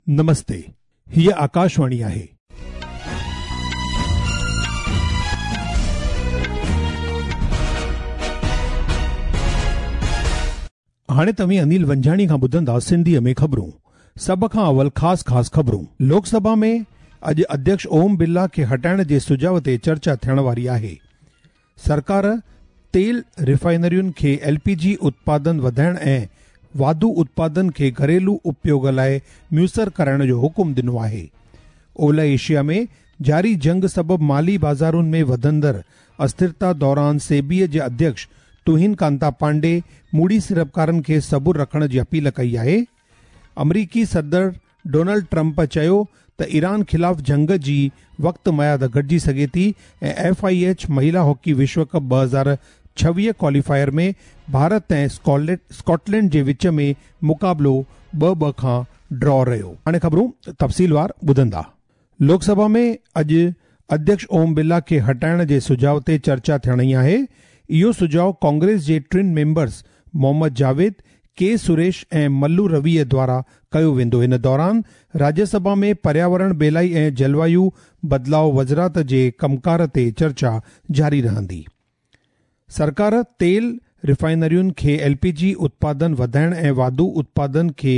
نمستي، هيء آڪاشواڻي آهي. هاڻي توهين انيل ونجهاڻي کان ٻڌندا سنڌيء ۾ خبرون. سڀ کان اول خاص خاص خبرون. لوڪ سڀا ۾ اڄ اڌيڪش اوم برلا کي هٽائڻ جي سجهاء تي چرچا ٿيڻ واري آهي. سرڪار تيل ريفائنرين کي ايل پي جي اتپادن وڌائڻ ۽ واڌو اتپادن کي گهريلو اپيوگ لاء ميسر ڪرائڻ جو حڪم ڏنو آهي. اولهه ايشيا ۾ جاري جنگ سبب مالي بازارن ۾ وڌندڙ اسٿرتا دوران سيبيء جي اڌيڪش تهين ڪانتا پانڊي موڙي سيڙپڪارن کي صبر رکڻ جي اپيل ڪئي آهي. آمريڪي صدر ڊونلڊ ٽرمپ چيو ته ايران خلاف جنگ جي وقت ميعاد گهٽجي سگهي ٿي ۽ ايف I H مهيلا هاڪي وشو ڪپ 2026 ڪواليفائر ۾ ڀارت ۽ اسڪاٽلينڊ جي وچ ۾ مقابلو ٻه ٻه کان ڊرا رهيو. هاڻي خبرون تفصيلوار ٻڌندا. لوڪ سڀا ۾ اڄ اڌيڪش اوم برلا کي هٽائڻ جي سجهاء تي چرچا ٿيڻي آهي. اهو سجهاء ڪانگريس جي ٽن ميمبرز محمد جاويد، ڪي سريش ۽ ملو رويء دوارا ڪيو ويندو. ان دوران راجيه سڀا ۾ پرياورڻ ٻيلائي ۽ جلوايو بدلاء وزارت جي ڪمڪار تي چرچا جاري رهندي. سرڪار تيل ريفائنرين کي ايل پي جي اتپادن وڌائڻ ۽ واڌو اتپادن کي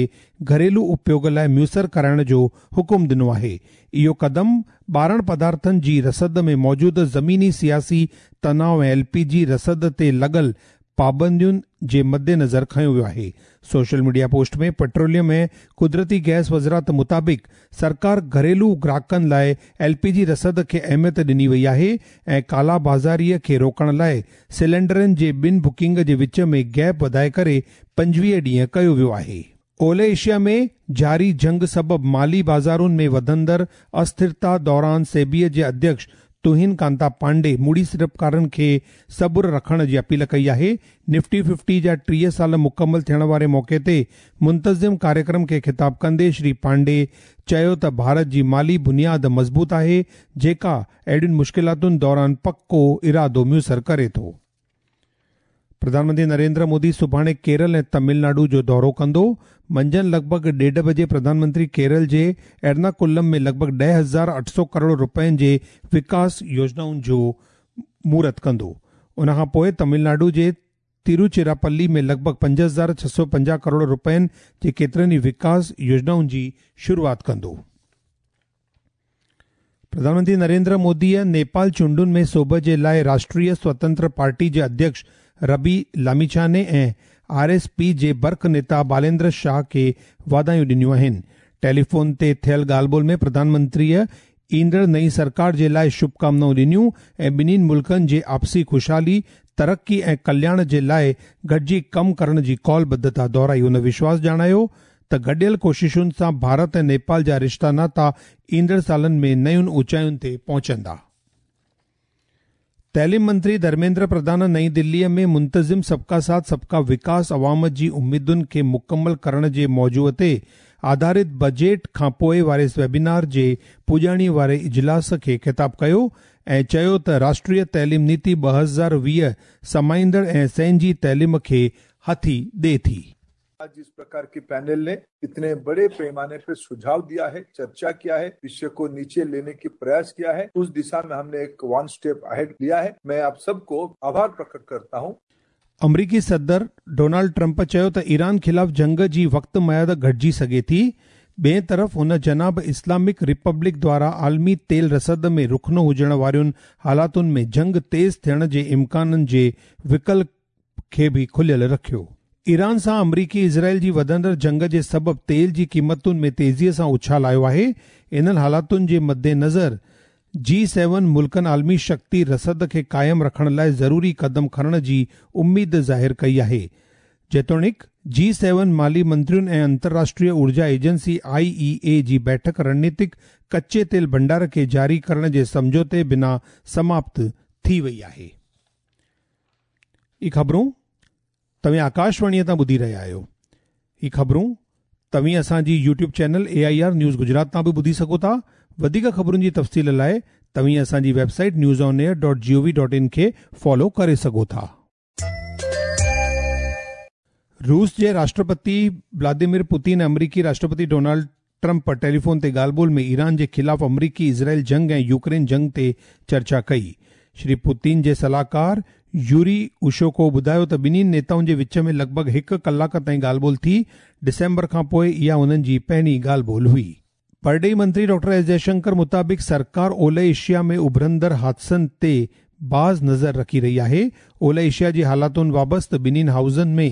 گهريلو اپيوگ لاء ميسر ڪرائڻ جو حڪم ڏنو آهي. اهو قدم ٻارڻ پدارٿن جي رسد ۾ موجوده زميني سياسي تناء ۽ ايل پي جي رسد تي لڳل پابندين جي مدنظر کنيو ويو آهي. سوشل ميڊيا پوسٽ ۾ پيٽروليم ۽ قدرتي گئس وزارت مطابق سرڪار گهريلو گراهڪن لاء ايل پي جي رسد کي اهميت ڏني وئي آهي ۽ ڪالا بازاري کي روڪڻ لاء سلينڊرن جي ٻن بڪنگ جي وچ ۾ گيپ وڌائي ڪري 25 ڏينهن ڪيو ويو آهي. اولهه ايشيا ۾ جاري جنگ سبب مالي بازارن ۾ وڌندڙ اسٿرتا دوران سيبيء جي اڌيڪش تهين ڪانتا پانڊي موڙي سيڙپڪارن کي صبر رکڻ جي اپيل ڪئي آهي. نفٽي ففٽي جا 30 سال مڪمل ٿيڻ واري موقعي تي منتظم ڪاريڪرم کي خطاب ڪندي شري پانڊي چيو ته ڀارت جي مالي بنياد مضبوط آهي جيڪا اهڙين مشڪلاتن دوران پڪو ارادو ميسر ڪري ٿو. پرڌان منتري نريندر مودي سڀاڻي ڪيرل ۽ تامل ناڊو جو دورو ڪندو. منجهند لڳ ڀڳ 1:30 بجي پرڌان منتري ڪيرل جي ايرناڪولم ۾ لڳ ڀڳ 10,800 ڪروڙ رپين جي وڪاس يوجنائن جو مهورت ڪندو. ان کان پوء تامل ناڊو جي تيروچيراپلي ۾ لڳ ڀڳ 5,650 ڪروڙ رپين جي ڪيترن ئي وڪاس يوجنائن جي شروعات ڪندو. پرڌان منتري نريندر موديء نيپال چونڊن ۾ سوڀ جي لاء راشٽريه سوتنتر پارٽي جي اڌيڪش ربي لاميڇاني ۽ آر ايس پي جي برک نيتا باليندر شاهه کي واڌايون ڏنيون آهن. ٽيليفون تي ٿيل ڳالهه ٻولهه ۾ پرڌان منتريء ايندڙ نئين سرڪار جي لاء شڀڪامنائون ڏنيون ۽ ٻنهين ملڪن جي آپسي خوشحالي، ترقي ۽ ڪلياڻ جي لاء گڏجي ڪم ڪرڻ جي قول ٻڌتا دهرائي. هن وشواس ڄاڻايو ته گڏيل ڪوششن سان ڀارت ۽ نيپال جا رشتا ناتا ايندڙ سالن ۾ نين اوچاين تي پهچندا. تعليم منتري ڌرميندر پرڌان نئين دليء ۾ منتظم سبڪا ساٿ سبڪا وڪاس عوام جي اميدن کي مڪمل ڪرڻ جي موضوع تي آڌارت بجيٽ کانپوء واري ويبينار جي پڄاڻي واري اجلاس کي خطاب ڪيو ۽ چيو ته راشٽريه تعليم نيتي 2020 سمائيندڙ ۽ سهنجي تعليم کي هٿي ڏئي ٿي. आज जिस प्रकार के पैनल ने इतने बड़े पैमाने पर सुझाव दिया है, चर्चा किया है, विषय को नीचे लेने की प्रयास किया है, उस दिशा में हमने एक वन स्टेप अहेड लिया है। मैं आप सबको आभार प्रकट करता हूं। अमरीकी सदर डोनाल्ड ट्रंप चयो त ईरान खिलाफ जंग जी वक़्त मयाद घटिजी सघे थी। ॿिए तरफ़ हुन जनाब इस्लामिक रिपब्लिक द्वारा आलमी तेल रसद में रुखनो हुजण वारियुनि हालातुनि में जंग तेज़ थियण जे इम्काननि जे विकल्प کي به کليل رکيو. ايران سان آمريڪي اسرائيل جي وڌندڙ جنگ جي سبب تيل جي قيمتن ۾ تيزيء سان اڇال آيو آهي. انهن حالاتن جي مدنظر جي سيون ملڪن عالمي شڪتي رسد کي قائم رکڻ لاء ضروري قدم کڻڻ جي اميد ظاهر ڪئي آهي. جيتوڻيڪ جي سيون مالي منترين ۽ انترراشٽريه اورجا ايجنسي آء اي اي جي بيٺڪ رڻنيتڪ ڪچي تيل ڀنڊار کي جاري ڪرڻ جي سمجهوتي بنا سماپت ٿي وئي آهي. هي خبرون توهين آڪاشواڻيء تان ٻڌي رهيا آهيو. هي خبرون توهين اسان جي YouTube channel A I R news Gujarat تان به ٻڌي سگهو ٿا. وڌيڪ خبرن جي تفصيل لاء توهين اسان جي website news on air dot G O V dot in کي فالو ڪري سگهو ٿا. روس جي راشٽرپتي ولاديمير پوتين ۽ آمريڪي راشٽرپتي ڊونالڊ. ٽرمپ ٽيليفون تي ڳالهه ٻولهه ۾ ايران جي خلاف آمريڪي اسرائيل جنگ ۽ يوڪرين جنگ تي چرچا ڪئي. شري پوتين جي صلاحڪار يوري اوشاڪوو ٻڌايو ته ٻنهي نيتائن جي وچ ۾ لڳ ڀڳ هڪ ڪلاڪ تائين ڳالهه ٻولهه ٿي، ڊسمبر کانپوء اها انهن جي پهرين ڳالهه ٻولهه هئي. پرڏيهي منتري ڊاڪٽر ايس جئشنڪر مطابق سرڪار اولهه ايشيا ۾ اڀرندڙ حادثن تي باز نظر رکي رهي آهي. اولهه ايشيا جي حالاتن وابسته ٻنهي هائوسن ۾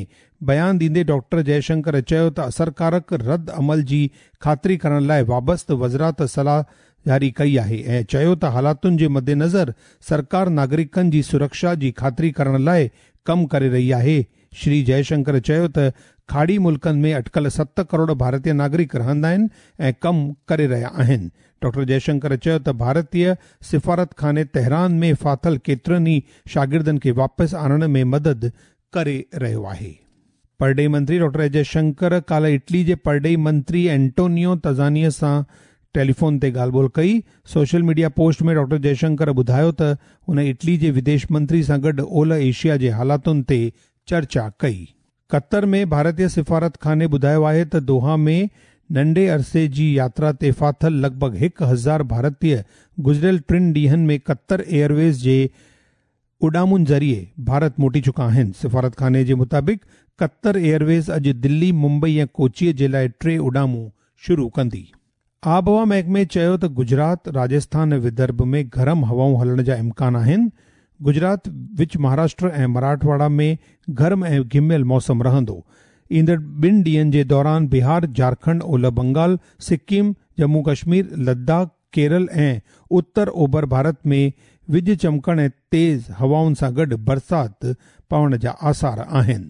بيان ڏيندي ڊاڪٽر جئشنڪر چيو ته اثرڪارڪ رد عمل جي خاطري ڪرڻ لاء وابسته وزارت صلاح جاري ڪئي آهي ۽ چيو ته حالاتن جي مدنظر سرڪار ناگرڪن جي سرڪشا جي خاطري ڪرڻ لاء ڪم ڪري رهي آهي. شري جئشنڪر چيو ته کاڙي ملڪن ۾ اٽڪل 7 ڪروڙ ڀارتي ناگرڪ رهندا آهن ۽ ڪم ڪري رهيا آهن. ڊاڪٽر جئشنڪر چيو ته ڀارتي سفارتخاني تهران ۾ ڦاٿل ڪيترن ئي شاگردن کي واپس آڻڻ ۾ مدد ڪري رهيو آهي. پرڏيهي منتري ڊاڪٽر ايس جئشنڪر ڪالهه اٽلي جي پرڏيهي منتري اينٽونيو تزاني سان ٽيليفون تي ڳالهه ٻولهه ڪئي. سوشل ميڊيا پوسٽ ۾ ڊاڪٽر جئشنڪر ٻڌايو ته هن اٽلي جي وديش منتري سان گڏ اولهه ايشيا جي حالاتن تي چرچا ڪئي. قطر ۾ ڀارتي سفارتخاني ٻڌايو آهي ته دوحا ۾ ننڍي عرصي جي ياترا تي ڦاٿل لڳ ڀڳ 1000 ڀارتي گذريل 3 ڏينهن ۾ قطر ايئرويز جي اڏامن ذريعي ڀارت موٽي چڪا آهن. سفارتخاني جي مطابق قطر ايئرويز اڄ دلي، ممبئي ۽ ڪوچي جي لاء 3 اڏامون شروع ڪندي. آبهوا محڪمي چيو ته گجرات، راجسٿان ۽ ودرڀ ۾ گرم هوائون هلڻ جا امڪان آهن. گجرات، وچ مهاراشٽر ۽ مراٺواڙا ۾ گرم ۽ گهميل موسم رهندو. ايندڙ 2 ڏينهن جي دوران بهار، جهارکنڊ، اولهه بنگال، سڪم، ڄمون ڪشمير، لداخ، ڪيرل ۽ اتر اوڀر ڀارت ۾ وڄ چمڪڻ ۽ تيز هوائن سان گڏ برسات پوڻ جا آثار آهن.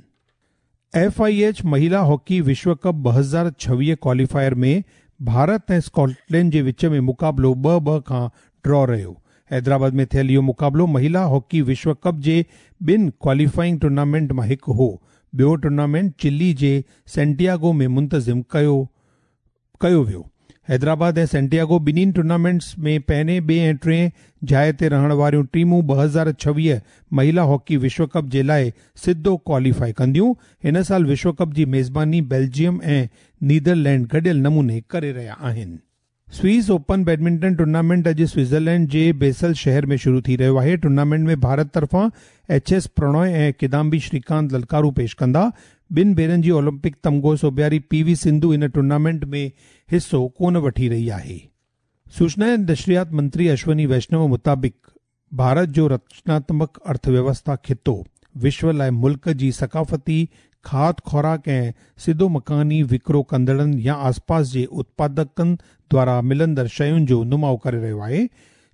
ايف I H مهيلا هاڪي وشو ڪپ 2026 ڪواليفائر ۾ ڀارت ۽ اسڪاٽلينڊ جي وچ ۾ مقابلو 2-2 کان ڊرا رهيو. حيدرآباد ۾ ٿيل اهو مقابلو مهيلا هاڪي وشو ڪپ جي 2 ڪواليفائنگ ٽورنامينٽ مان هڪ هو. ٻيو ٽورنامينٽ چلي جي سينٽياگو ۾ منتظم ڪيو ويو. حيدرآباد ۽ سينٽياگو ٻنهي ٽورنامينٽس ۾ پهرين، ٻئي ۽ ٽئين جاء تي رهڻ واريون ٽيمون 2026 مهيلا هاڪي وشو ڪپ جي لاء سڌو ڪواليفائي ڪنديون. هن سال وشو ڪپ جي ميزباني بيلجيم ۽ نيدرلينڊ گڏيل نموني ڪري رهيا آهن. سوئس اوپن بيڊمنٽن ٽورنامينٽ اڄ سوئٽزرلينڊ جي بيسل شهر ۾ شروع ٿي رهيو آهي. ٽورنامينٽ ۾ ڀارت طرفان ايڇ ايس پرڻوي ۽ ڪدامبي شريڪانت للڪارو پيش ڪندا. 2 ڀيرن جي اولمپڪ تمغو سوڀياري پي وي سنڌو هن ٽورنامينٽ ۾ حصو ڪونه وٺي رهي آهي. سوچنا ۽ نشريات منتري اشوني ويشنو مطابق ڀارت جو رچناتمڪ ارٿويوسٿا خطو وشو لاء ملڪ جي ثقافتي کاڌ خوراڪ ۽ سڌو مڪاني وڪرو ڪندڙن يا آسپاس جي اتپادڪن دوارا ملندڙ شين جو نماء ڪري رهيو آهي.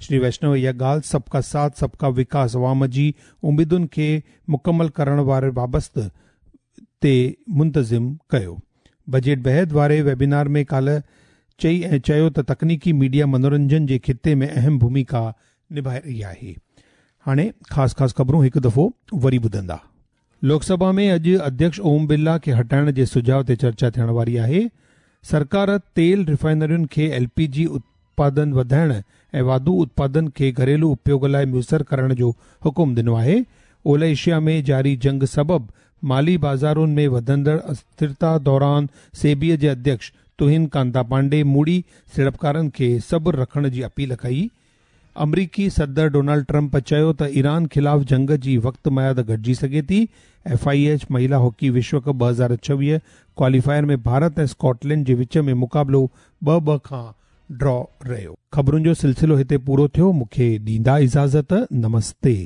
شري ويشنو اها ڳالهه سب ڪا ساٿ سب ڪا وڪاس عوام جي اميدن کي مڪمل ڪرڻ واري وابسته تي منتظم ڪيو. بجيٽ بعد واري ويبينار ۾ ڪالهه چئي ۽ چيو ته تڪنيڪي ميڊيا منورنجن جي خطي ۾ اهم ڀوميڪا نڀائي رهي آهي. هاڻي خاص خاص خبرون هڪ دفعو وري ٻڌندا. لوڪ سڀا ۾ اڄ اڌيڪش اوم برلا کي هٽائڻ جي سجهاء تي چرچا ٿيڻ واري آهي. سرڪار تيل ريفائنرين کي ايل پي جي اتپادن وڌائڻ ۽ واڌو اتپادن کي گهريلو اپيوگ لاء ميسر ڪرڻ جو حڪم ڏنو آهي. اولهه ايشيا ۾ جاري جنگ سبب مالي بازارن ۾ وڌندڙ اسٿرتا دوران سيبي جي اڌيڪش تهين ڪانتا پانڊي موڙي سيڙپڪارن کي صبر رکڻ جي اپيل ڪئي. آمريڪي صدر ڊونلڊ ٽرمپ چيو ته ايران خلاف جنگ جي وقت ميعاد گهٽجي سگهي ٿي. ايف I H مهيلا هاڪي وشو ڪپ 2026 ڪواليفائر ۾ ڀارت ۽ اسڪاٽلينڊ جي وچ ۾ مقابلو 2-2 کان ڊرا رهيو. خبرن جو سلسلو هتي پورو ٿيو. مون کي ڏيندا اجازت. نمستي.